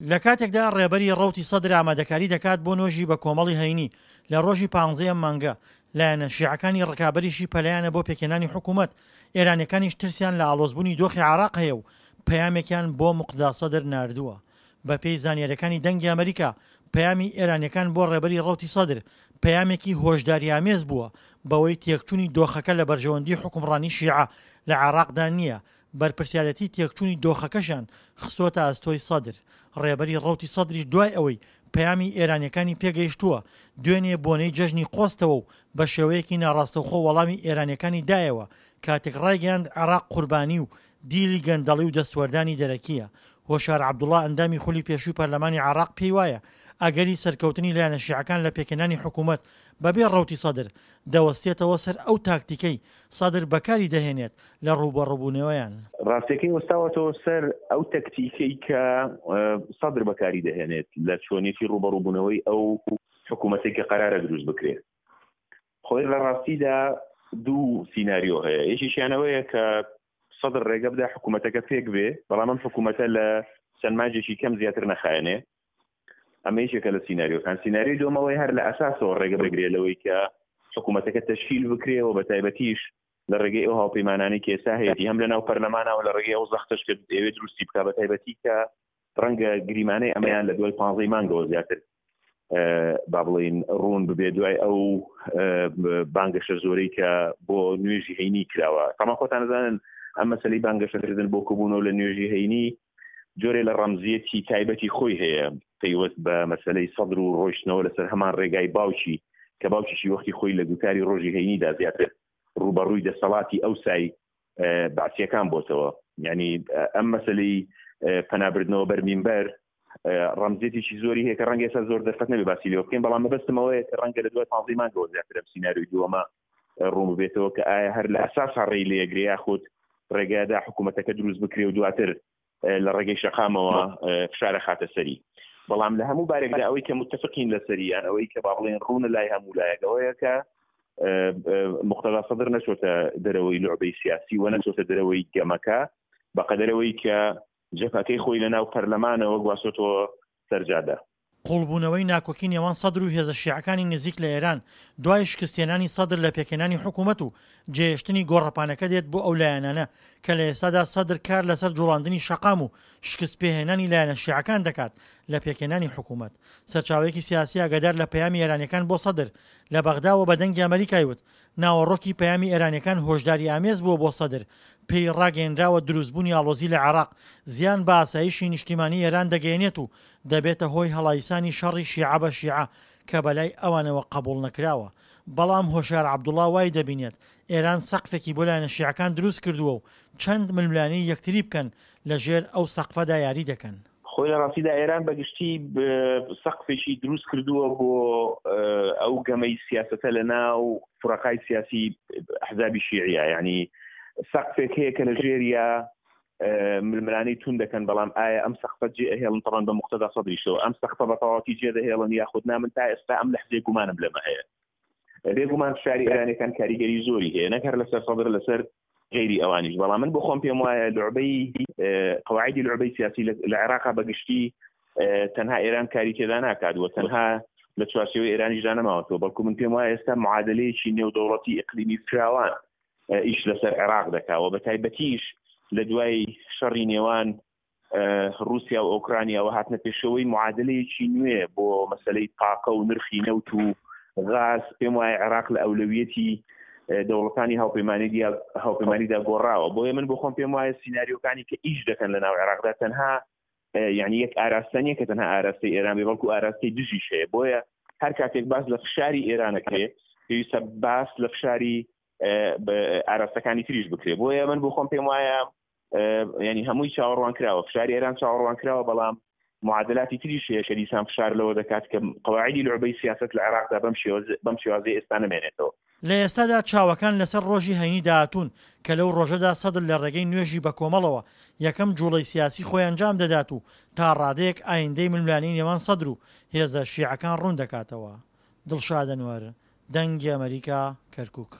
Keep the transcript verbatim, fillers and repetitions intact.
لە کاتێکدا ڕێبەری ڕەوتی سەدر ئامادەکاری دەکات بۆ نۆژی بە کۆمەڵی هەینی لە ڕۆژی پانزەی ئەم مانگە، لایەنە شیعەکانی ڕکابەریشی پەلەیانە بۆ پێکهێنانی حکوومەت، ئێرانییەکانیش ترسیان لە ئاڵۆزبوونی دۆخی عێراق هەیە و پەیامێکیان بۆ موقتەدا سەدر ناردووە. بەپێی زانیارییەکانی دەنگی ئەمەریکا، پەیامی ئێرانییەکان بۆ ڕێبەری ڕەوتی سەدر پەیامێکی هۆشداریئامێز بووە بەوەی تێکچوونی دۆخەکە لە بەرژەوەندی حوکمڕانی شیعە لە عێراقدا نییە، بەرپرسیارێتی تێکچوونی دۆخەکەشیان خستۆتە ئەستۆی سەدر. ڕێبەری ڕەوتی سەدریش دوای ئەوەی پەیامی ئێرانییەکانی پێگەیشتووە، دوێنێ بۆنەی جەژنی قۆستەوە و بە شێوەیەکی ناڕاستەوخۆ وەڵامی ئێرانییەکانی دایەوە کاتێک ڕایگەیاند عێراق قوربانی و دیلی گەندەڵی و دەستوەردانی دەرەکییە. هۆشیار عەبدوڵا ئەندامی خولی پێشووی پەرلەمانی عێراق پێیوایە ئەگەری سەرکەوتنی لایەنە شیعەکان لە پێکهێنانی حکوومەت بەبێ ڕەوتی سەدر، دەوەستێتەوە سەر ئەو تاکتیکەی سەدر بەکاری دەهێنێت لە ڕووبەڕووبوونەوەیان. ڕاستیەکەی وەستاوەتەوە سەر ئەو تەکتیکەی کە سەدر بەکاری دەهێنێت لە چۆنیەتی ڕووبەڕووبوونەوەی ئەو حکوومەتێک کە قەرارە دروست بکرێت. خۆی لە ڕاستیدا دوو سیناریۆ هەیە، یەکێکیان ئەوەیە کە سەدر ڕێگە بدا حکوومەتەکە پێک بێ، بەڵام ئەم حکوومەتە لە چەند مانگێکی کەم زیاتر نەخایەنێ. ئەمە یەکێکە لە سیناریۆکان. سیناریۆی دووەمەوەی هەر لە ئەساسەوە ڕێگە بگرێ لەوەی کە حکوومەتەکە تەشکیل بکرێ و بە تایبەتیش لە ڕێگەی ئەو هاوپەیمانانەی کە ئێستا هەیەتی هەم لە ناو پەرلەمانەوە لە ڕێگەی ئەو زەختەش کە ئەوێ دروستی بکا، بە تایبەتی کە ڕەنگە گریمانەی ئەمەیان لە دوای پانزەی مانگەوە زیاتر با بڵین ڕوون ببێ دوای ئەو بانگەشە زۆرەی کە بۆ نوێژی هەینی کراوە. تەما خۆتان دەزانن ئەم مەسەلەی بانگەشەکردن بۆ کۆبوونەوە لە نوێژی هەینی جۆرێ لە ڕەمزیەتی تایبەتی خۆی هەیە پەیوەست بە مەسەلەی سەدر و ڕۆیشتنەوە لەسەر هەمان ڕێگای باوکی کە باوکیشی وەختی خۆی لە گوتاری ڕۆژی هەینیدا زیاتر ڕووبەڕووی دەسەڵاتی ئەوسای بەعسیەکان بۆتەوە. یعنی ئەم مەسەلەی پەنابردنەوە بەر مینبەر ڕەمزیەتێکی زۆری هەیە کە ڕەنگە ئێستا زۆر دەرفەت نەبێ باسی لێوە بکەین، بەڵام مەبەستم ئەوەیە کە ڕەنگە لە دوای پانزەی مانگەوە زیاتر ئەم سیناریۆی دووەمە ڕوون ببێتەوە کە ئایا هەر لە ئەساسا ڕێی لێگرێ یاخود ڕێگایدا حکوومەتەکە دروست بکرێ و دواتر لە ڕێگەی شەقامەوە فشارە خاتە سەری. بەڵام لە هەموو بارێکدا ئەوەی کە متفقین لەسەری یان ئەوەی کە با بڵێن ڕوونە لای هەموو لایەک ئەوەیە کە مقتەدا سەدر نەچۆتە دەرەوەی لعبەی سیاسی و نەچۆتە دەرەوەی گەمەکە بەقەدەرەوەی کە جەبهەکەی خۆی لە ناو پەرلەمانەوە گواستۆتەوە سەر جادە. قوڵبوونەوەی ناکۆکی نێوان سەدر و هێزە شیعەکانی نزیک لە ئێران دوای شکستهێنانی سەدر لە پێکهێنانی حکوومەت و جێهێشتنی گۆڕەپانەکە دێت بۆ ئەو لایەنانە کە لە ئێستادا سەدر کار لەسەر جوڵاندنی شەقام و شکستپێهێنانی لایەنە شیعەکان دەکات لە پێکهێنانی حکوومەت. سەرچاوەیەکی سیاسی ئاگادار لە پەیامی ئێرانیەکان بۆ سەدر لە بەغداوە بە دەنگی ئەمەریکای وت ناوەڕۆکی پەیامی ئێرانیەکان هۆشداریئامێز بووە بۆ سەدر، پێی ڕاگەیەنراوە دروستبوونی ئاڵۆزی لە عێراق زیان بە ئاسایشی نیشتیمانی ئێران دەگەیەنێت و دەبێتە هۆی هەڵایسانی شەڕی شیعە بە شیعە کە بەلای ئەوانەوە قبوڵنەکراوە. بەڵام هۆشیار عەبدوڵا وای دەبینێت ئێران سەقفێکی بۆ لایەنە شیعەکان دروستکردووە و چەند ململانێی یەکتری بکەن لەژێر ئەو سەقفەدا یاری دەکەن. خۆی لە ڕاستیدا ئێران بە گشتی سەقفێکی دروست کردووە بۆ ئەو گەمەی سیاسەتە لە ناو فرەقای سیاسی ئەحزابی شیعیە، یعنی سەقفێک هەیە کە لە ژێریا ململانێی توند دەکەن، بەڵام ئایا ئەم سەقفە جێ ئەهێڵن؟ تەبعەن بە مقتەدا سەدریشەوە ئەم سەقفە بە تەواوەتی جێ دەهێڵن یاخود نا؟ من تا ئێستا ئەم لەحزەیە گومانم لەمە هەیە. بێگومان فشاری ئێرانیەکان کاریگەری زۆری هەیە نەک هەر لەسەر سەدر، لەسەر غەیری ئەوانیش، بەڵام من بۆ خۆم پێم وایە لعبەی قەواعدی لعبەی سیاسی لە عێراقا بە گشتی تەنها ئێران کاری تێدا ناکات و تەنها لە چوارچێوەی ئێرانیشدا نەماوەتەوە، بەڵکو من پێم وایە ئێستا معادلەیەکی نێودەوڵەتی ئیقلیمی فراوان ئیش لەسەر عێراق دەکا و بە تایبەتیش لە دوای شەڕی نێوان رووسیا و ئۆکرانیاوە هاتنە پێشەوەی معادلەیەکی نوێ بۆ مەسلەی تاقە و نرخی نەوت و غاز. پێم وایە عێراق لە ئەولەویەتی دەوڵەتانی هاوپەیمانیدا گۆڕاوە. بۆیە من بۆ خۆم پێم وایە سیناریۆکانی کە ئیش دەکەن لە ناو عێراقدا تەنها یعنی یەک ئاراستە نییە کە تەنها ئاراستەی ئێران بێ، بەڵکو ئاراستەی دژیش هەیە. بۆیە هەر کاتێک باس لە فشاری ئێرانەکرێ پێویستە باس لە فشاری ئاراستەکانی تریش بکرێ. بۆیە من بۆ خۆم پێم وایە ینی هەمووی چاوەڕوان کراوە، فشاری ئێران چاوەڕوان کراوە، بەڵام معادلاتی تریش هەیە کە دیسان فشار لەوە دەکات کە قەواعدی لعبەی سیاست لە عێراقدا بەم شێوازە بەم شێوازەی ئێستا نەمێنێتەوە. لە ئێستادا چاوەکان لەسەر ڕۆژی هەینی داهاتوون کە لەو ڕۆژەدا سەدر لە ڕێگەی نوێژی بەکۆمەڵەوە یەکەم جوڵەی سیاسی خۆی ئەنجام دەدات و تا ڕادەیەک ئایندەی ململانێی نێوان سەدر و هێزە شیعەکان ڕوون دەکاتەوە. دڵشاد ئەنوەر، دەنگی ئەمەریکا، کەرکوک.